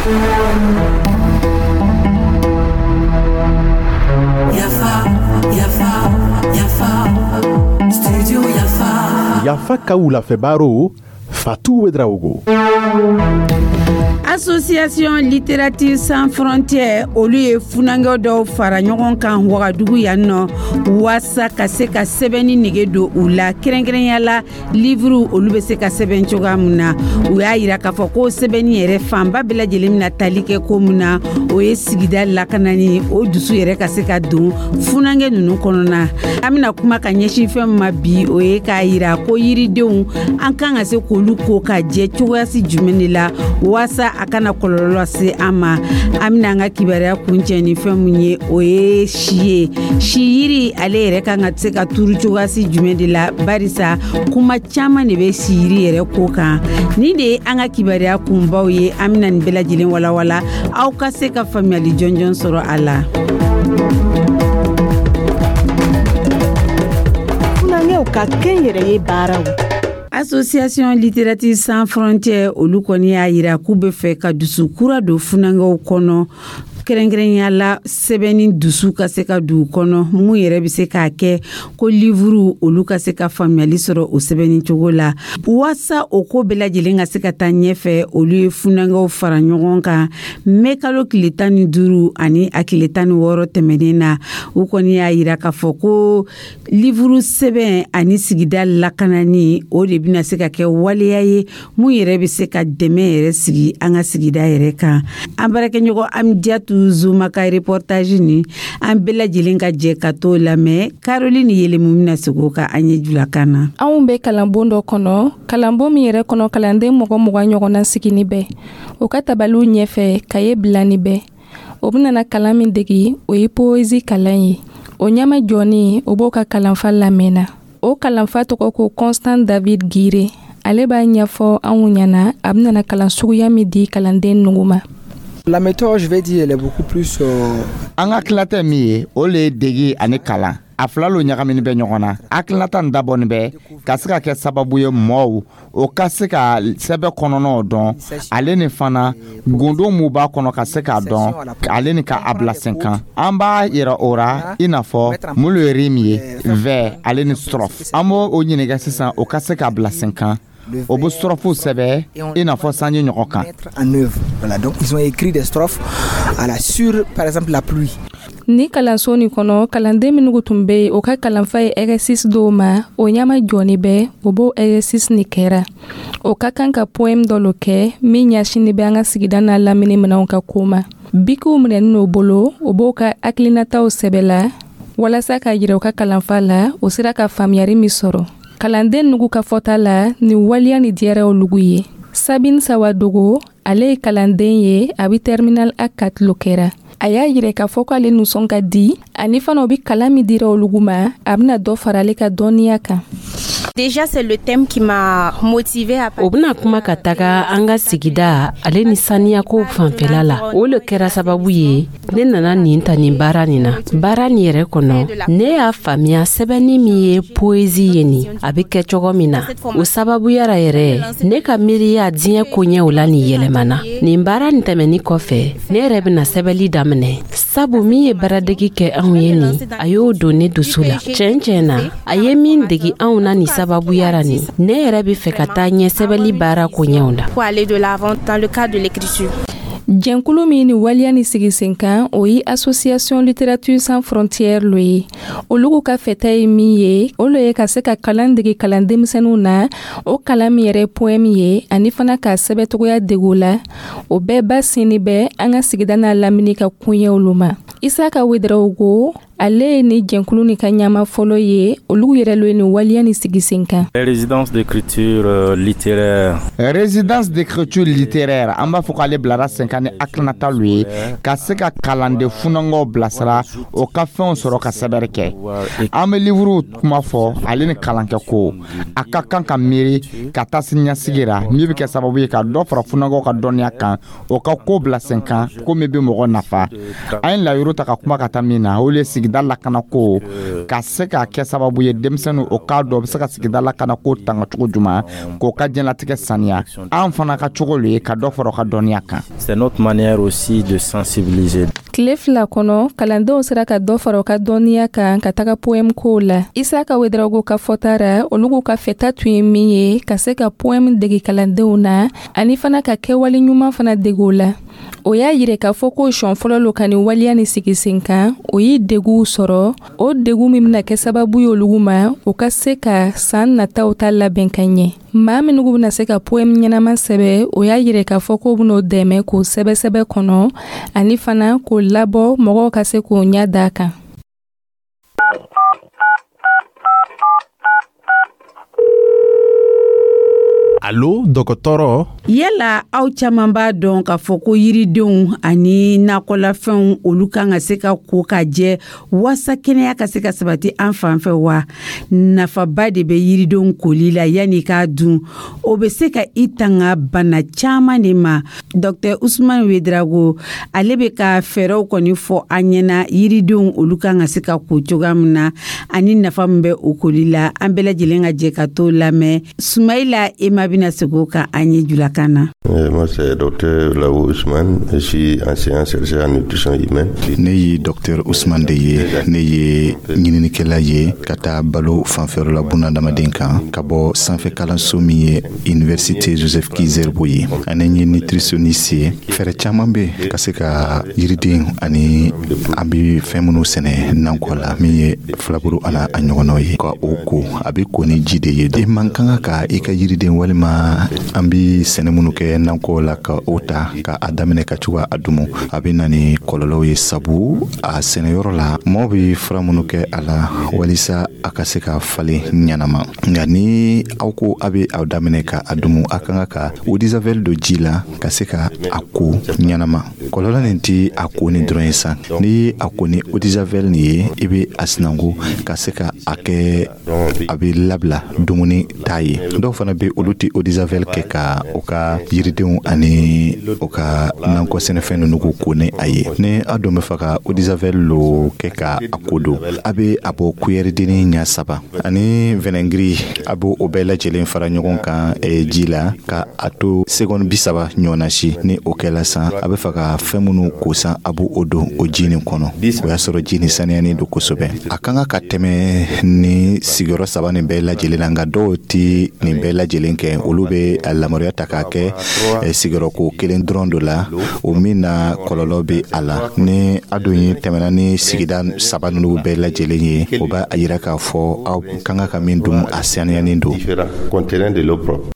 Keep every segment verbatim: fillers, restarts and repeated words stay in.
Yafa, Yafa, Yafa, Studio Yafa. Yafa ka wulafɛ baro, Fatou Ouédraogo. Association Littérature Sans Frontières, olu ye funankɛ dɔw fara ɲɔgɔn kan Wagadugu yan nɔ, waasa ka se ka sɛbɛnni nege don u la, kɛrɛnkɛrɛnya la livre, olu bɛ se ka sɛbɛn cogoya min na. U y'a yira k'a fɔ ko sɛbɛnni yɛrɛ fanba bɛɛ lajɛlen bɛna tali kɛ ko min na, o ye sigida lakanani. O dusu yɛrɛ ka se ka don funankɛ ninnu kɔnɔna. An bɛna kuma ka ɲɛsin fɛn min ma bi, o ye k'a yira ko yiridenw, an kan ka se k'olu ko ka jɛ cogoyasi jumɛn de la, waasa a kana kɔlɔlɔ lase an ma. An bɛna an ka kibaruya kuncɛ ni fɛn mun ye, o ye si ye. Si yiri, ale yɛrɛ kan ka se ka turu cogoyasi jumɛn de la, barisa kuma caman de bɛ si yiri yɛrɛ ko kan. Nin de ye an ka kibaruya kunbaw ye. An bɛna nin bɛɛ lajɛlen walawala, aw ka se ka faamuyali jɔnjɔn sɔrɔ a la. Funankɛw ka kɛnyɛrɛye baaraw. Association Littérature Sans Frontières, olu kɔni y'a yira k'u bɛ fɛ ka dusu kura don funankɛw kɔnɔ, kɛrɛnkɛrɛnya la sɛbɛnni dusu ka se ka don u kɔnɔ, mun yɛrɛ bɛ se k'a kɛ ko livuru, olu ka se ka faamuyali sɔrɔ o sɛbɛnni cogo la. Waasa o ko bɛɛ lajɛlen ka se ka taa ɲɛfɛ, olu ye funankɛw fara ɲɔgɔn kan mɛ kalo tile tan ni duuru ani a tile tan ni wɔɔrɔ tɛmɛnen na. U kɔni y'a yira k'a fɔ ko livuru sɛbɛn ani sigida lakanani, o de bɛna se ka kɛ waleya ye mun yɛrɛ bɛ se ka dɛmɛ yɛrɛ sigi an ka sigida yɛrɛ kan. An baarakɛɲɔgɔn Amidiyatu Zuma ka reportage ni, an bɛɛ lajɛlen ka jɛ ka t'o lamɛn. Caroline Yelemu bɛna segin o kan an ye julakan na. Anw bɛ kalanbon dɔ kɔnɔ, kalanbon min yɛrɛ kɔnɔ, kalanden mɔgɔ mugan ɲɔgɔnna sigini bɛ o ka tabaliw ɲɛfɛ, kaye bilani bɛ. O bɛna kalan min degi, o ye poésie kalan ye. O ɲɛma jɔni, o b'o ka kalanfa lamɛnna. O kalanfa tɔgɔ ko Constant David Gire. Ale b'a ɲɛfɔ anw ɲɛna a bɛna kalan suguya min di kalanden nugu ma. La méthode, je vais dire, elle est beaucoup plus. Euh... An ka tilatɛ min ye, o le ye degi ani kalan. A fila lo ɲagamini bɛ ɲɔgɔn na. Hakilinata nin dabɔnin bɛ ka se ka kɛ sababu ye mɔɔw o ka se ka sɛbɛ kɔnɔnaw dɔn, ale ni fana gundo mun b'a kɔnɔ ka se k'a dɔn, ale ni ka a bila sen kan. An b'a yira o ra i n'a fɔ mun le ye rime ye, vers ale ni strophe. An b'o o ɲininka sisan, o ka se k'a bila sen kan. O bɛ strophe sɛbɛ i n'a fɔ sanji ɲɔgɔn kan. En œuvre. Voilà, donc ils ont écrit des strophes à la sur, par exemple, la pluie. Ni kalanso nin kɔnɔ, kalanden minnu tun bɛ yen, o ka kalanfa ye exercice dɔw ma. O ɲama jɔni bɛ, o b'o exercice nin kɛra. O ka kan ka poème dɔ lo kɛ min ɲɛsinni bɛ an ka sigida n'a lamini minɛnw ka ko ma. Bikiw minɛni n'o bolo, o b'o ka hakilinataw sɛbɛ la walasa k'a yira u ka kalanfa la o sera ka faamuyari min sɔrɔ. Kalanden nugu ka fɔta la, nin waleya ni diyara olugu ye. Sabine Sawadogo, ale ye kalanden ye, a bɛ terminal A quatre lo kɛra. A y'a yira k'a fɔ k'ale nisɔn ka di, ani fana o bɛ kalan min dira olugu ma, a bɛna dɔ fara ale ka dɔnniya kan. Déjà, c'est le thème qui m'a motivé à O bɛna kuma ka taga an ka sigida ale ni saniyako fanfɛla la. O le kɛra sababu ye ne nana nin ta nin baara nin na. Baara nin yɛrɛ kɔnɔ, ne y'a faamuya sɛbɛnni min ye poésie ye nin, a bɛ kɛ cogo min na. O sababuyara yɛrɛ, ne ka miiriya diɲɛ koɲɛw la nin yɛlɛmana. Nin baara nin tɛmɛni kɔfɛ, ne yɛrɛ bɛna sɛbɛnni daminɛ, sabu min ye baaradegi kɛ anw ye nin, a y'o don ne dusu la tiɲɛ tiɲɛ na. A ye min degi anw na nin sababuyara nin, ne yɛrɛ bɛ fɛ ka taa ɲɛ sɛbɛnni baara koɲɛw la. Pour aller de l'avant dans le cadre de l'écriture. Jɛnkulu min ni waleya ni sigi sen kan, o ye Association Littérature Sans Frontières lo ye. Olugu ka fɛta ye min ye, o lo ye ka se ka kalan dege kalan denmisɛnninw na, o kalan min yɛrɛ poème ye, ani fana k'a sɛbɛcogoya dege la. O bɛɛ ba sinni bɛ an ka sigida n'a lamini ka koɲɛw lo ma. Isaka Ouédraogo, ale ye ni jɛnkulu ni ka ɲama fɔlɔ ye. Olu yɛrɛ lo ye nin waleya ni sigi sen kan. Résidence d'écriture euh, littéraire. Résidence d'écriture littéraire, an b'a fɔ k'ale bilara sen kan ni hakilinata lu ye ka se ka kalanden funankɛw bilasira, o ka fɛnw sɔrɔ ka sɛbɛnni kɛ. An bɛ livuru kuma fɔ ale ni kalankɛ ko a ka kan ka miiri ka taa siniɲɛsigi ra, min bɛ kɛ sababu ye ka dɔ fara funankɛw ka dɔnniya kan, o ka ko bila sen kan, ko min bɛ mɔgɔ nafa. An ye layiru ta ka kuma ka taa min na, o le ye sigida Sigida lakanako ka se ka kɛ sababu ye, denmisɛnninw o k'a dɔn o bɛ se ka sigida lakanako tanga cogo juman, k'o ka diɲɛlatigɛ saniya. An fana ka cogo lo ye ka dɔ fara o ka dɔnniya kan. C'est notre manière aussi de sensibiliser. Tile fila kɔnɔ, kalandenw sera ka dɔ fara u ka dɔnniya kan ka taga poème kow la. Isaka Wedrago ka fɔta ra, olu ka fɛta tun ye min ye, ka se ka poème degi kalandenw na, ani fana ka kɛwale ɲuman fana dege o la. O y'a yira k'a fɔ ko siɲɛ fɔlɔ lo ka nin waleya ni sigi sen kan. O ye deguw sɔrɔ, o degu min bɛna kɛ sababu ye olugu ma, o ka se ka san nataw ta labɛn ka ɲɛ. Maa minnu bɛna se ka poème ɲɛnama sɛbɛ, o y'a yira k'a fɔ k'o bɛn'o dɛmɛ k'o sɛbɛ sɛbɛ kɔnɔ, ani fana k'o labɔ mɔgɔw ka se k'o ɲɛ da kan. Alo, dɔgɔtɔrɔ. Yala aw caman b'a dɔn k'a fɔ ko yiridenw ani nakɔlafɛnw, olu kan ka se ka ko ka jɛ waasa kɛnɛya ka se ka sabati an fan fɛ wa? Nafaba de bɛ yiridenw koli la yanni k'a dun. O bɛ se ka i tanga bana caman de ma. Docteur Usman Wedrago, ale bɛ ka fɛɛrɛw kɔni fɔ an ɲɛna, yiridenw olu kan ka se ka ko cogoya min na, ani nafa min bɛ o koli la. An bɛɛ lajɛlen ka jɛ ka t'o lamɛn. Sumayila Ema bɛna segin o kan an ye julakan na. Moi, c'est docteur Lao Ousmane, je suis enseignant chercheur en nutrition humaine. Ne ye docteur Ousmane de ye, ne ye ɲininikɛla ye ka taa balo fanfɛyɔrɔ la bunadamaden kan, ka bɔ sanfɛ kalanso min ye Université Joseph Ki-Zerbo ye, ani n ye nutritionniste ye. Fɛɛrɛ caman bɛ ka se ka yiriden ani an bɛ fɛn minnu sɛnɛ nakɔ la, min ye filaburu ana a ɲɔgɔnnaw ye, ka o ko, a bɛ ko ni ji de ye. I man kan ka i ka yiriden walima an bɛ sɛnɛ minnu kɛ nakɔ la, ka o ta ka a daminɛ ka cogo a dumu, a bɛ na ni kɔlɔlɔw ye, sabu a sɛnɛyɔrɔ la, mɔgɔw bɛ fura minnu kɛ a la walisa a ka se ka falen ɲɛnama. Nka ni aw ko a bɛ aw daminɛ ka a dumu, a kan ka eau de javel don ji la ka se ka a ko ɲɛnama. Kɔlɔlɔ nin tɛ a ko ni dɔrɔn ye sa. N'i ye a ko ni eau de javel nin ye, i bɛ a sinanko ka se ka a kɛ a bɛ labila dumuni t'a ye. Dɔw fana bɛ, olu tɛ eau de javel kɛ ka u ka yiridenw ani u ka nakɔ sɛnɛfɛn ninnu k'u ko ni a ye. Ni a dun bɛ fɛ ka eau de javel lo kɛ ka a ko don, a bɛ a bɔ kuyɛridenni ɲɛ saba ani vɛnɛgiri, a b'o o bɛɛ lajɛlen fara ɲɔgɔn kan ji la ka a to seconde bi saba ɲɔgɔnna si. Ni o kɛla san, a bɛ fɛ ka fɛn minnu ko san, a b'o o don o ji nin kɔnɔ. O y'a sɔrɔ ji nin saniyalen don kosɛbɛ. A kan ka tɛmɛ ni sigiyɔrɔ saba nin bɛɛ lajɛlen na, nka dɔw tɛ nin bɛɛ lajɛlen kɛ. Olu bɛ a lamaruya ta k'a kɛ sigiyɔrɔko kelen dɔrɔn dɔ la, o min na kɔlɔlɔ bɛ a la. Ni a dun ye tɛmɛna ni sigida saba ninnu bɛɛ lajɛlen ye, o b'a yira k'a fɔ aw kan ka min dun, a saniyalen don. Contenant de l'eau propre.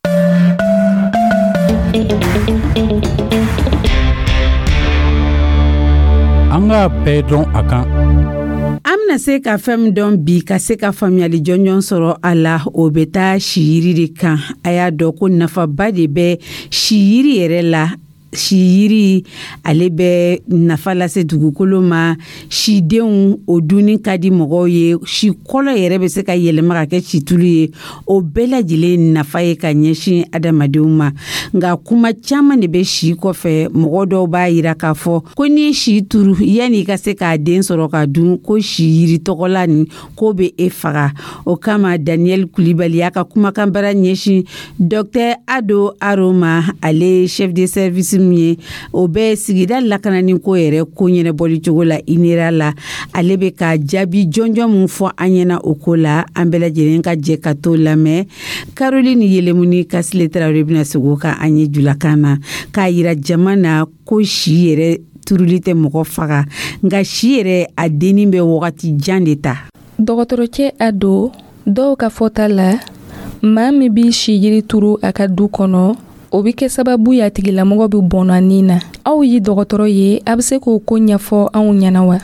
An k'a bɛɛ dɔn a kan. An bɛna se ka fɛn min dɔn bi, ka se ka faamuyali jɔnjɔn sɔrɔ a la, o bɛ taa siyiri de kan. A y'a dɔn ko nafaba de bɛ siyiri yɛrɛ la. Siyiri, ale bɛ nafa lase dugukolo ma. Sidenw, o dunni ka di mɔgɔw ye. Si kɔlɔ yɛrɛ bɛ se ka yɛlɛma ka kɛ situlu ye. O bɛɛ lajɛlen nafa ye ka ɲɛsin adamadenw ma. Nka kuma caman de bɛ si kɔfɛ. Mɔgɔ dɔw b'a yira k'a fɔ ko n'i ye si turu, yanni i ka se k'a den sɔrɔ ka dun, ko si yiri tɔgɔla nin k'o bɛ e faga. O kama, Daniel Kulibali y'a ka kumakan bara ɲɛsin docteur Ado Aroma, ale chef de service min ye, o bɛ sigida lakanani ko yɛrɛ ko ɲɛnabɔli cogo la INERA la. Ale bɛ ka jaabi jɔnjɔn min fɔ an ɲɛna o ko la, an bɛɛ lajɛlen ka jɛ ka t'o lamɛn. Caroline Yelemuni Kasile Tarawele bɛna segin o kan an ye julakan na, k'a yira jama na ko si yɛrɛ turuli tɛ mɔgɔ faga, nka si yɛrɛ a denni bɛ wagati jan de ta. Dɔgɔtɔrɔcɛ Ado, dɔw ka fɔta la, maa min b'i si yiri turu a ka du kɔnɔ, o bɛ kɛ sababu ye a tigilamɔgɔ bɛ bɔnna nin na. Aw ye dɔgɔtɔrɔ ye, a bɛ se k'o ko ɲɛfɔ anw ɲɛna wa?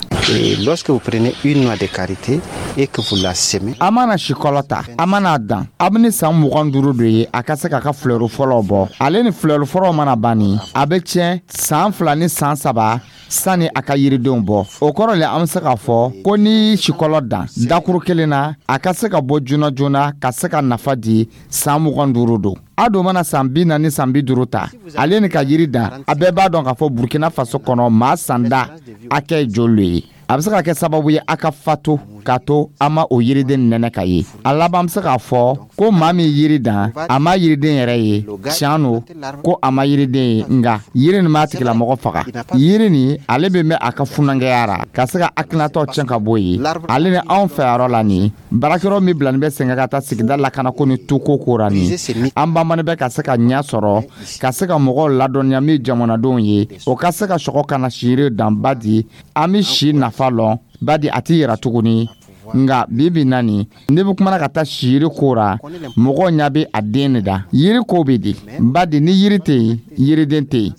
Lorsque vous prenez une noix de karité et que vous la semez, a mana sikɔlɔ ta, a mana dan, a bɛ ni san mugan duuru de ye a ka se k'a ka fleur fɔlɔ bɔ. Ale ni fleur fɔlɔ mana ban ni, a bɛ tiɲɛ san fila ni san saba sani a ka yiridenw bɔ. O kɔrɔ le, an bɛ se k'a fɔ ko n'i sikɔlɔ dan dakuru kelen na, a ka se ka bɔ joona joona ka se ka nafa di san mugan duuru don. A don mana san bi naani, san bi duuru ta, ale ni ka yiri dan, a bɛɛ b'a dɔn k'a fɔ Burkina Faso kɔnɔ, maa sanda hakɛ ye joli ye. A bɛ se ka kɛ sababu ye a ka fatu k'a to an ma o yiriden nɛnɛ ka ye. A laban bɛ se k'a fɔ ko maa min yiri dan, a ma yiriden yɛrɛ ye. Tiɲɛ no ko a ma yiriden ye, nka yiri nin m'a tigilamɔgɔ faga. Yiri nin, ale bɛ mɛn a ka funankɛya ra ka se ka hakilinataw tiɲɛ ka bɔ yen. Ale ni anw fɛ yɔrɔ la, nin baarakɛyɔrɔ min bilani bɛ sen ka taa sigida lakanako ni tuko ko ra, nin an banbani bɛ ka se ka ɲɛ sɔrɔ ka se ka mɔgɔw ladɔnniya min jamanadenw ye, o ka se ka sɔgɔ ka na siri dan. Badi an bɛ si nafa lɔn, badi a ti yɛrɛ tuguni. Nka bi bi na nin, ne bɛ kumana ka taa siyiri ko ra, mɔgɔw ɲɛ bɛ a den de da. Yiri ko bɛ di? Badi ni yiri tɛ yen, yiriden tɛ yen.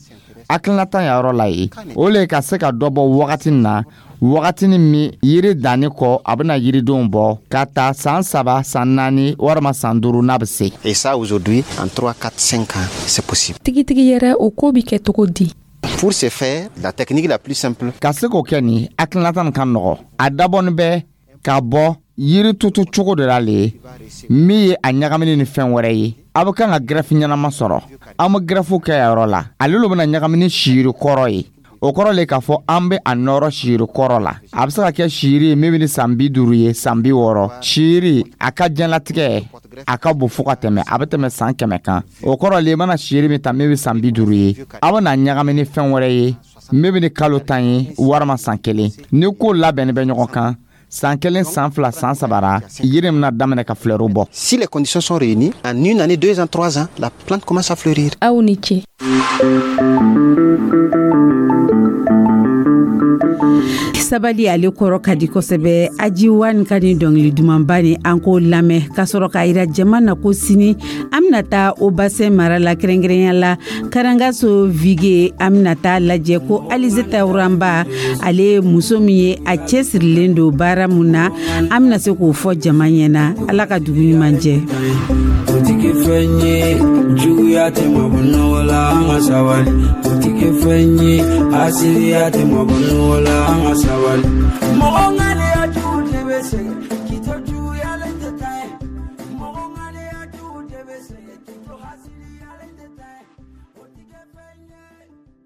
Hakilinata yɔrɔ la ye, o le ka se ka dɔ bɔ wagati na, wagatinin min yiri danni kɔ, a bɛna yiridenw bɔ ka taa san saba, san naani walima san duuru n'a bɛ se. Et ça, aujourd'hui, en trois, quatre, cinq ans, c'est possible. Tigitigi yɛrɛ, o ko bi kɛ cogo di? Pour ce faire, la technique la plus simple. Ka se k'o kɛ, nin hakilinata nin ka nɔgɔ. A dabɔnin bɛ ka bɔ yiri tutu cogo de la le min ye a ɲagamini ni fɛn wɛrɛ ye. A bɛ kan ka greffe ɲɛnama sɔrɔ. An bɛ greffe kɛ yɔrɔ la, ale lo bɛna ɲagami ni siyiri kɔrɔ ye. O kɔrɔ le k'a fɔ an bɛ a nɔrɔ siyiri kɔrɔ la. A bɛ se ka kɛ siyiri ye min bɛ ni san bi duuru ye, san bi wɔɔrɔ. Siyiri a ka diɲɛlatigɛ a ka bon fo ka tɛmɛ, a bɛ tɛmɛ san kɛmɛ kan. O kɔrɔ le, i mana siyiri min ta min bɛ san bi duuru ye, a bɛ na ɲagami ni fɛn wɛrɛ ye min bɛ ni kalo tan ye walima san kelen. Ni ko labɛnni bɛ ɲɔgɔn kan, san kelen, san fila, san saba ra, yiri bɛna daminɛ ka flɛriw bɔ. Si les conditions sont réunies, en une année, deux ans, trois ans, la plante commence à fleurir. Aw ni ce. Sabali, ale kɔrɔ ka di kosɛbɛ. Ajiwan ka ni dɔngili dumanba ni an k'o lamɛn ka sɔrɔ k'a yira jama na ko sini an bena taa Haut-Bassin mara la, kɛrɛnkɛrɛnya la Karangaso Vige. An bena taa lajɛ ko Alizeta Wuranba, ale ye muso min ye, a cɛsirilen don baara mun na, an bena se k'o fɔ jama ɲɛna. Ala ka dugu ɲuman jɛ. O ti kɛ fɛn ye, juguya tɛ mabɔ nɔgɔ la, an ka sabali. O ti kɛ fɛn ye, asiriya tɛ mabɔ nɔgɔ la, an ka sabali.